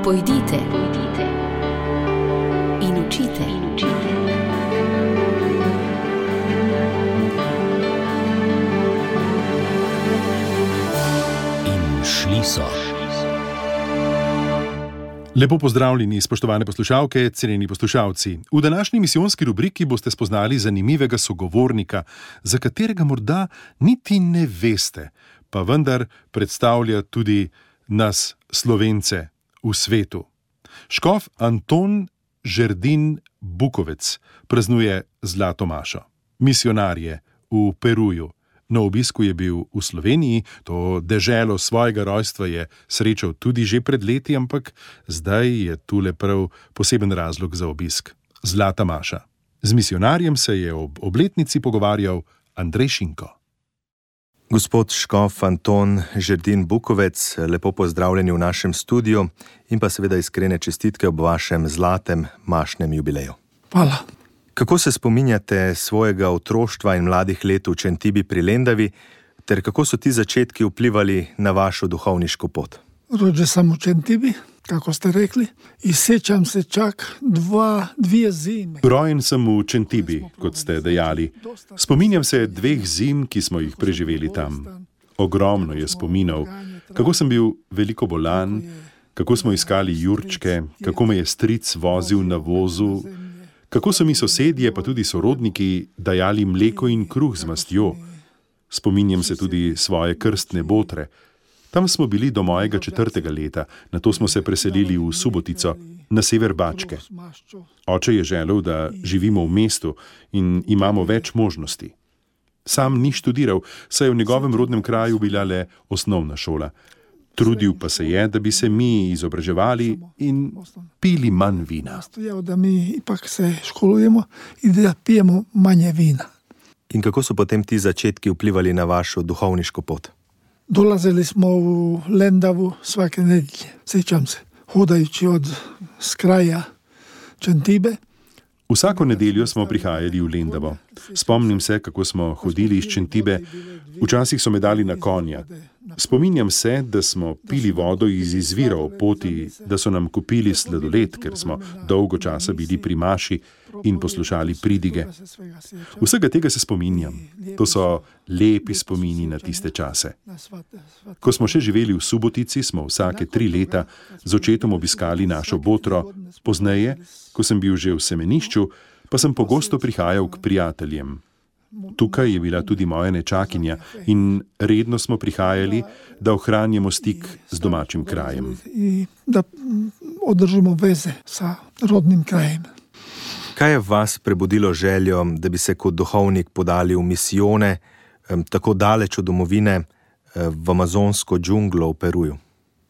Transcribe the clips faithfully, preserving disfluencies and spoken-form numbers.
Pojdite, pojdite in učite, in učite. In šli so. Lepo pozdravljeni, spoštovane poslušalke, cenjeni poslušalci. V današnji misijonski rubriki boste spoznali zanimivega sogovornika, za katerega morda niti ne veste, pa vendar predstavlja tudi nas, Slovence, v svetu. Škof Anton Žerdin Bukovec praznuje zlato mašo. Misijonar je v Peruju. Na obisku je bil v Sloveniji, to deželo svojega rojstva je srečal tudi že pred leti, ampak zdaj je tule prav poseben razlog za obisk. Zlata maša. Z misijonarjem se je ob obletnici pogovarjal Andrej Šinko. Gospod škof Anton Žerdin Bukovec, lepo pozdravljeni v našem studiu in pa seveda iskrene čestitke ob vašem zlatem mašnem jubileju. Hvala. Kako se spominjate svojega otroštva in mladih let v Čentibi pri Lendavi, ter kako so ti začetki vplivali na vašo duhovniško pot? Rođen sam u Čentibi, kako ste rekli, i sjećam se čak dva, dvije zime. Rojen sem v Čentibi, kot ste dejali. Spominjam se dveh zim, ki smo jih preživeli tam. Ogromno je spominov, kako sem bil veliko bolan, kako smo iskali jurčke, kako me je stric vozil na vozu, kako so mi sosedje, pa tudi sorodniki, dajali mleko in kruh z mastjo. Spominjam se tudi svoje krstne botre. Tam smo bili do mojega četrtega leta, nato smo se preselili v Subotico, na sever Bačke. Oče je želel, da živimo v mestu in imamo več možnosti. Sam ni študiral, saj je v njegovem rodnem kraju bila le osnovna šola. Trudil pa se je, da bi se mi izobraževali in pili manj vina. Nastojao da mi ipak se školujemo i da pijemo manje vina. In kako so potem ti začetki vplivali na vašo duhovniško pot? Dolazili smo u Lendavu svake nedjelje, sjećam se, hodajući od s kraja Čentibe. Vsako nedeljo smo prihajali v Lendavo. Spomnim se, kako smo hodili iz Čentibe. Včasih so me dali na konja. Spominjam se, da smo pili vodo iz izvira ob poti, da so nam kupili sladoled, ker smo dolgo časa bili pri maši in poslušali pridige. Vsega tega se spominjam. To so lepi spomini na tiste čase. Ko smo še živeli v Subotici, smo vsake tri leta z očetom obiskali našo botro. Pozneje, ko sem bil že v semenišču, pa sem pogosto prihajal k prijateljem. Tukaj je bila tudi moja nečakinja in redno smo prihajali, da ohranjamo stik z domačim krajem. I da održimo veze sa rodnim krajem. Kaj je v vas prebudilo željo, da bi se kot duhovnik podali v misijone, tako daleč od domovine, v amazonsko džunglo v Peruju?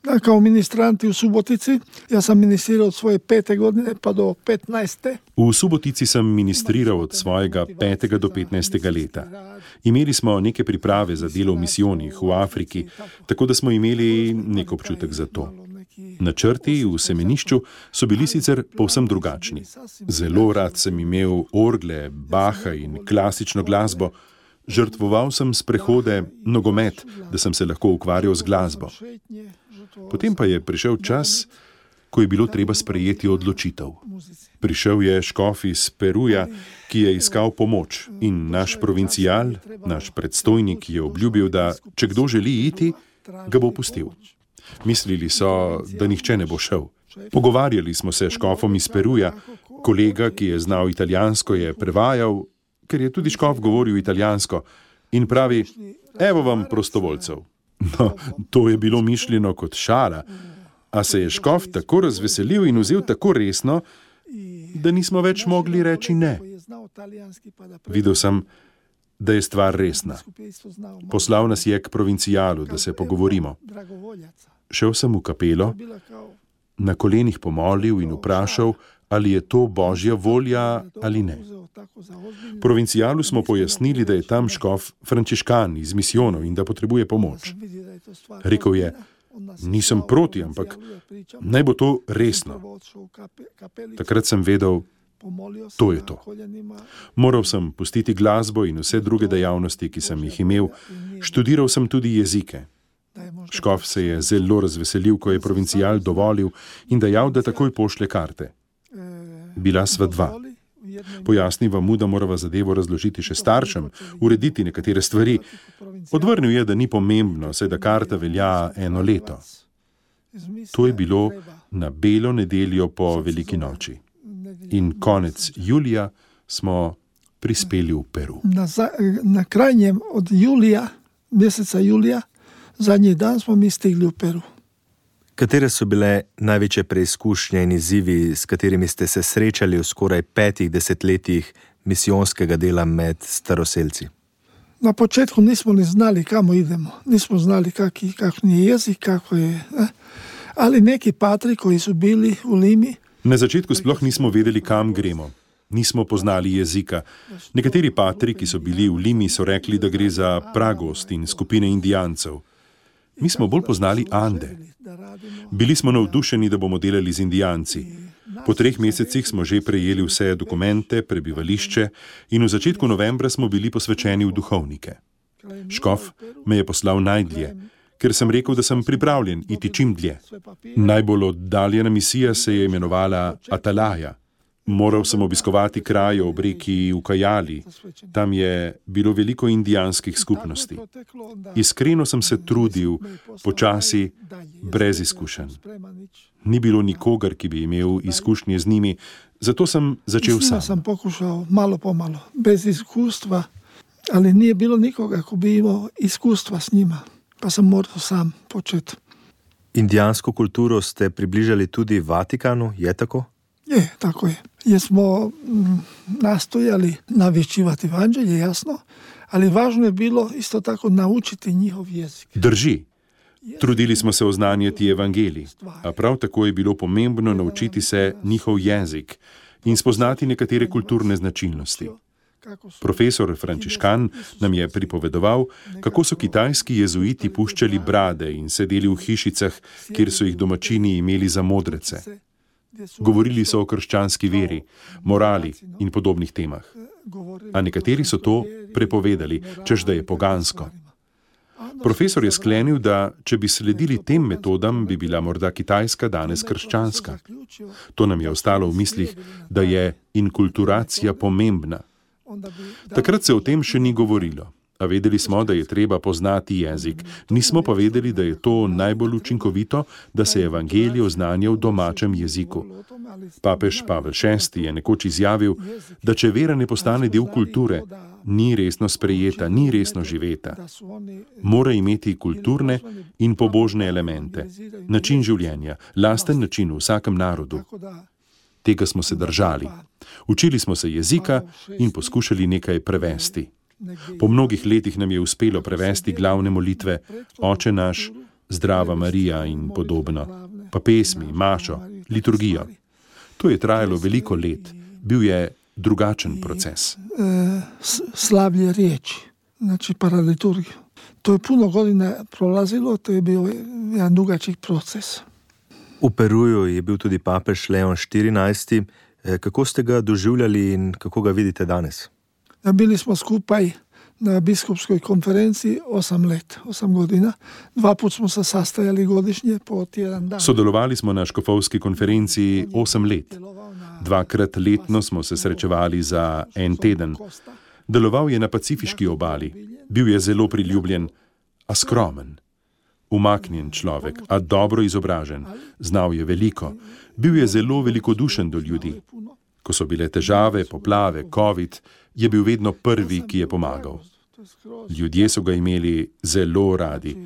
Da, kao ministranti u Subotici, ja sam ministrirao od svoje pete godine pa do petnaeste. V Subotici sem ministriral od svojega petega do petnajstega leta. Imeli smo neke priprave za delo v misijonih v Afriki, tako da smo imeli nek občutek za to. Načrti v semenišču so bili sicer povsem drugačni. Zelo rad sem imel orgle, Bacha in klasično glasbo. Žrtvoval sem sprehode, nogomet, da sem se lahko ukvarjal z glasbo. Potem pa je prišel čas, ko je bilo treba sprejeti odločitev. Prišel je škof iz Peruja, ki je iskal pomoč, in naš provincial, naš predstojnik je obljubil, da če kdo želi iti, ga bo pustil. Mislili so, da nihče ne bo šel. Pogovarjali smo se s škofom iz Peruja, kolega, ki je znal italijansko, je prevajal, ker je tudi škof govoril italijansko, in pravi, evo vam prostovoljcev. No, to je bilo mišljeno kot šala, a se je škof tako razveselil in vzel tako resno, da nismo več mogli reči ne. Videl sem, da je stvar resna. Poslal nas je k provincialu, da se pogovorimo. Šel sem v kapelo, na kolenih pomolil in vprašal, ali je to Božja volja ali ne. Provincialu smo pojasnili, da je tam škof frančiškan iz misijonov in da potrebuje pomoč. Rekel je, nisem proti, ampak naj bo to resno. Takrat sem vedel, to je to. Moral sem pustiti glasbo in vse druge dejavnosti, ki sem jih imel. Študiral sem tudi jezike. Škof se je zelo razveselil, ko je provincial dovolil in dejal, da takoj pošlje karte. Bila sva dva. Pojasniva mu, da morava zadevo razložiti še staršem, urediti nekatere stvari. Odvrnil je, da ni pomembno, saj da karta velja eno leto. To je bilo na belo nedeljo po veliki noči. In konec julija smo prispeli v Peru. Na, za, na krajnjem od julija, meseca julija, zadnji dan smo mi stigli v Peru. Katere so bile največje preizkušnje in izzivi, s katerimi ste se srečali v skoraj petih desetletjih misijonskega dela med staroselci? Na početku nismo ni znali, kamo idemo. Nismo znali, kakvi, kakšen je jezik, kako je. Eh? Ali neki patri, koji su bili u Limi. Na začetku sploh nismo vedeli, kam gremo. Nismo poznali jezika. Nekateri patri, ki so bili v Limi, so rekli, da gre za pragost in skupine indijancev. Mi smo bolj poznali Ande. Bili smo navdušeni, da bomo delali z Indijanci. Po treh mesecih smo že prejeli vse dokumente, prebivališče in v začetku novembra smo bili posvečeni v duhovnike. Škof me je poslal najdlje, ker sem rekel, da sem pripravljen iti čim dlje. Najbolj oddaljena misija se je imenovala Atalaja. Moral sem obiskovati kraje ob reki Ukajali. Tam je bilo veliko indijanskih skupnosti. Iskreno sem se trudil, počasi, brez izkušenj. Ni bilo nikogar, ki bi imel izkušnje z njimi, zato sem začel sam. Sam pokušal malo po malo, bez izkustva, ali nije bilo nikoga, ko bi imel izkustva s njima, pa sem moral sam početi. Indijansko kulturo ste približali tudi Vatikanu, je tako? Je, tako je. Jer smo m, nastojali navješćivati evanđelje, jasno, ali važno je bilo isto tako naučiti njihov jezik. Drži. Trudili smo se oznanjati evangelij, a prav tako je bilo pomembno naučiti se njihov jezik in spoznati nekatere kulturne značilnosti. Profesor Frančiškan nam je pripovedoval, kako so kitajski jezuiti puščali brade in sedeli v hišicah, kjer so jih domačini imeli za modrece. Govorili so o krščanski veri, morali in podobnih temah. A nekateri so to prepovedali, češ da je pogansko. Profesor je sklenil, da če bi sledili tem metodam, bi bila morda Kitajska danes krščanska. To nam je ostalo v mislih, da je inkulturacija pomembna. Takrat se o tem še ni govorilo, a vedeli smo, da je treba poznati jezik. Nismo pa vedeli, da je to najbolj učinkovito, da se evangelij oznanja v domačem jeziku. Papež Pavel šesti je nekoč izjavil, da če vera ne postane del kulture, ni resno sprejeta, ni resno živeta. Mora imeti kulturne in pobožne elemente, način življenja, lasten način v vsakem narodu. Tega smo se držali. Učili smo se jezika in poskušali nekaj prevesti. Po mnogih letih nam je uspelo prevesti glavne molitve Oče naš, Zdrava Marija in podobno, pa pesmi, mašo, liturgijo. To je trajalo veliko let. Bil je drugačen proces. Slavlje riječi, znači paraliturgiju. To je puno godina prolazilo, to je bio jedan dugačik proces. V Peruju je bil tudi papež Leon štirinajsti. Kako ste ga doživljali in kako ga vidite danes? Bili smo skupaj na biskupskoj konferenciji osam let, osam godina. Dva put smo se sastajali godišnje po tjedan dan. Sodelovali smo na škofovski konferenciji osem let. Dvakrat letno smo se srečevali za en teden. Deloval je na pacifiški obali. Bil je zelo priljubljen, a skromen. Umaknjen človek, a dobro izobražen. Znal je veliko. Bil je zelo velikodušen do ljudi. Ko so bile težave, poplave, covid, je bil vedno prvi, ki je pomagal. Ljudje so ga imeli zelo radi.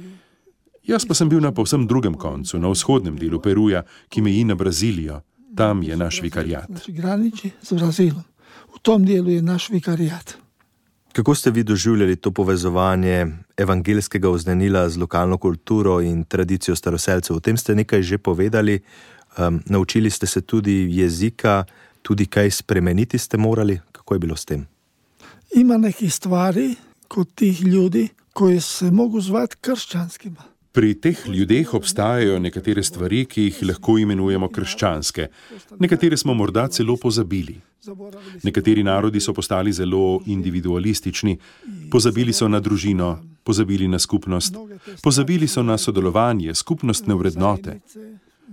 Jaz pa sem bil na povsem drugem koncu, na vzhodnem delu Peruja, ki meji na Brazilijo. Tam je naš vikariat. Znači graniči z Brazilom. V tom delu je naš vikariat. Kako ste vi doživljali to povezovanje evangeljskega oznanila z lokalno kulturo in tradicijo staroselcev? O tem ste nekaj že povedali. Um, naučili ste se tudi jezika, tudi kaj spremeniti ste morali. Kako je bilo s tem? Ima nekih stvari kod tih ljudi koji se mogu zvati kršćanskima. Pri teh ljudeh obstajajo nekatere stvari, ki jih lahko imenujemo krščanske. Nekatere smo morda celo pozabili. Nekateri narodi so postali zelo individualistični, pozabili so na družino, pozabili na skupnost, pozabili so na sodelovanje, skupnostne vrednote.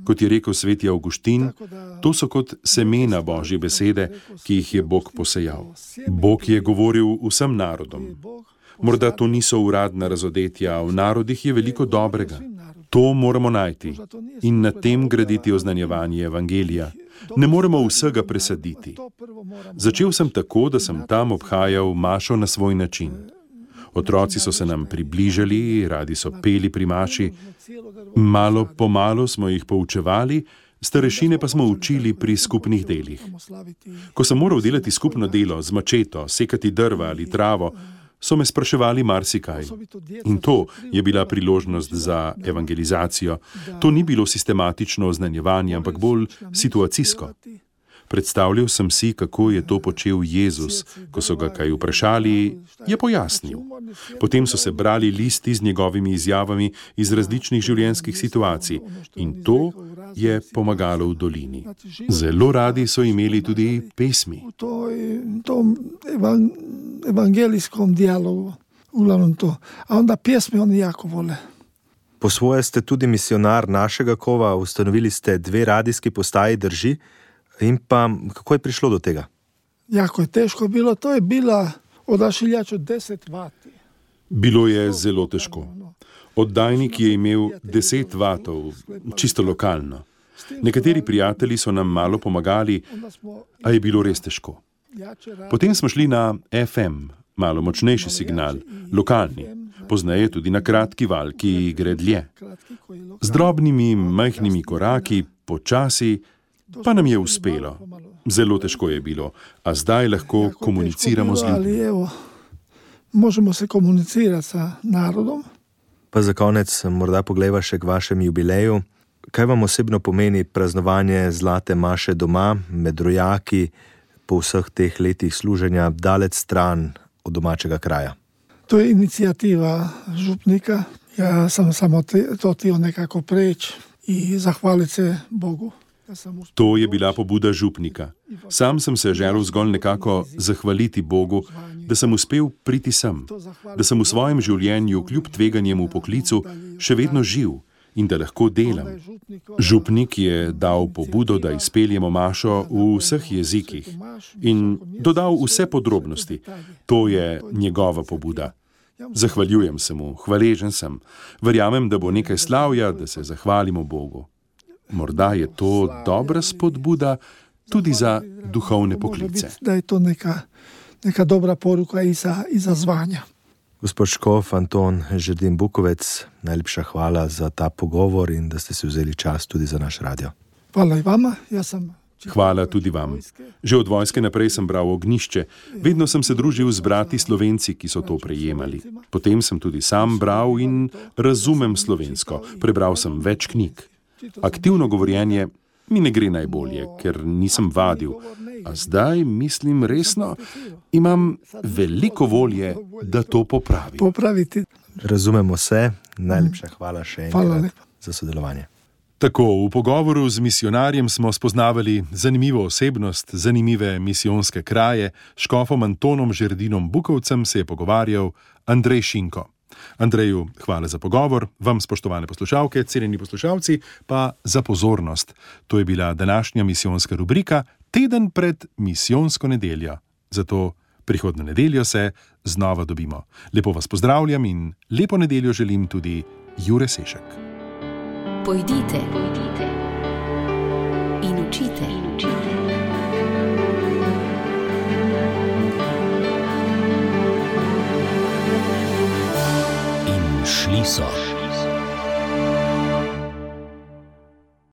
Kot je rekel sveti Avguštin, to so kot semena Božje besede, ki jih je Bog posejal. Bog je govoril vsem narodom. Morda to niso uradna razodetja, v narodih je veliko dobrega. To moramo najti in na tem graditi oznanjevanje evangelija. Ne moremo vsega presaditi. Začel sem tako, da sem tam obhajal mašo na svoj način. Otroci so se nam približali, radi so peli pri maši. Malo po malo smo jih poučevali, starešine pa smo učili pri skupnih delih. Ko sem moral delati skupno delo z mačeto, sekati drva ali travo, so me spraševali marsikaj. In to je bila priložnost za evangelizacijo. To ni bilo sistematično oznanjevanje, ampak bolj situacijsko. Predstavljal sem si, kako je to počel Jezus. Ko so ga kaj vprašali, je pojasnil. Potem so se brali listi z njegovimi izjavami iz različnih življenjskih situacij in to je pomagalo v dolini. Zelo radi so imeli tudi pesmi. V tom evangelijskom dialogu, uglavnom to. A onda pjesme oni jako vole. Po svoje ste tudi misionar našega kova, ustanovili ste dve radijski postaji, drži? In pa, kako je prišlo do tega? Jako je teško bilo, to je bila odašiljač od deset vati. Bilo je zelo težko. Oddajnik je imel deset vatov, čisto lokalno. Nekateri prijatelji so nam malo pomagali, a je bilo res težko. Potem smo šli na F M, malo močnejši signal, lokalni, pozneje tudi na kratki val, ki gre dlje. Z drobnimi, majhnimi koraki, počasi, pa nam je uspelo. Zelo težko je bilo, a zdaj lahko komuniciramo z ljudmi. Evo, možemo se komunicirati s narodom. Pa za konec morda poglejva še k vašem jubileju. Kaj vam osebno pomeni praznovanje zlate maše doma, med rojaki, po vseh teh letih služenja, daleč stran od domačega kraja? To je inicijativa župnika. Ja sam samo to htio nekako preći i zahvaliti se Bogu. To je bila pobuda župnika. Sam sem se želel zgolj nekako zahvaliti Bogu, da sem uspel priti sem, da sem v svojem življenju kljub tveganjem v poklicu še vedno živ in da lahko delam. Župnik je dal pobudo, da izpeljemo mašo v vseh jezikih in dodal vse podrobnosti. To je njegova pobuda. Zahvaljujem se mu, hvaležen sem. Verjamem, da bo nekaj slavja, da se zahvalimo Bogu. Morda je to dobra spodbuda tudi za duhovne poklice. Da je to neka, neka dobra poruka i za, i za zvanja. Gospod škof Anton Žerdin Bukovec, najlepša hvala za ta pogovor in da ste si vzeli čas tudi za naš radio. Hvala i vama. Ja sam... Hvala tudi vam. Že od vojske naprej sem bral Ognjišče. Vedno sem se družil z brati Slovenci, ki so to prejemali. Potem sem tudi sam bral in razumem slovensko. Prebral sem več knjig. Aktivno govorjenje mi ne gre najbolje, ker nisem vadil. A zdaj, mislim resno, imam veliko volje, da to popravim. Popraviti. Razumemo se. Najlepša hvala še enkrat za sodelovanje. Tako, v pogovoru z misionarjem smo spoznavali zanimivo osebnost, zanimive misijonske kraje. S škofom Antonom Žerdinom Bukovcem se je pogovarjal Andrej Šinko. Andreju, hvala za pogovor, vam spoštovane poslušalke, cenjeni poslušalci, pa za pozornost. To je bila današnja misijonska rubrika Teden pred misijonsko nedeljo. Zato prihodnjo nedeljo se znova dobimo. Lepo vas pozdravljam in lepo nedeljo želim tudi Jure Sešek. Pojdite, pojdite in učite, in učite. In šli so.